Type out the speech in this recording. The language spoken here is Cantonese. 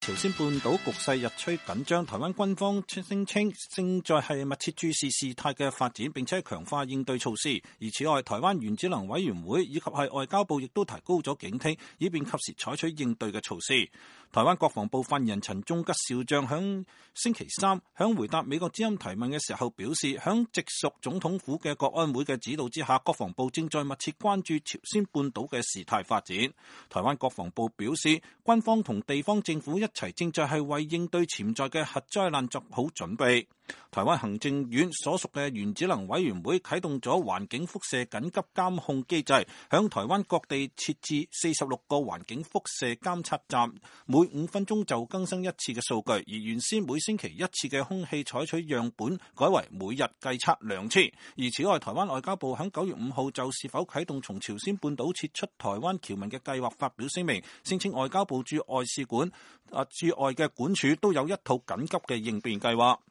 朝鮮半島局勢日趨緊張，台灣軍方聲稱正在係密切注視事態嘅發展，並且強化應對措施。而此外，台灣原子能委員會以及係外交部亦都提高咗警惕，以便及時採取應對嘅措施。台灣國防部發言人陳忠吉少將響星期三響回答美國之音提問嘅時候表示，響直屬總統府嘅國安會嘅指導之下，國防部正在密切關注朝鮮半島嘅事態發展。台灣國防部表示，軍方同地方政府一齊正在係為應對潛在嘅核災難作好準備。台灣行政院所屬嘅原子能委員會啟動咗環境輻射緊急監控機制，響台灣各地設置46個環境輻射監測站，每5分鐘就更新一次嘅數據，而原先每星期1次嘅空氣採取樣本改為每日計測2次。而此外，台灣外交部響9月5號就是否啟動從朝鮮半島撤出台灣僑民嘅計劃發表聲明，聲稱外交部駐外使館駐外嘅管處都有一套緊急嘅應變計劃。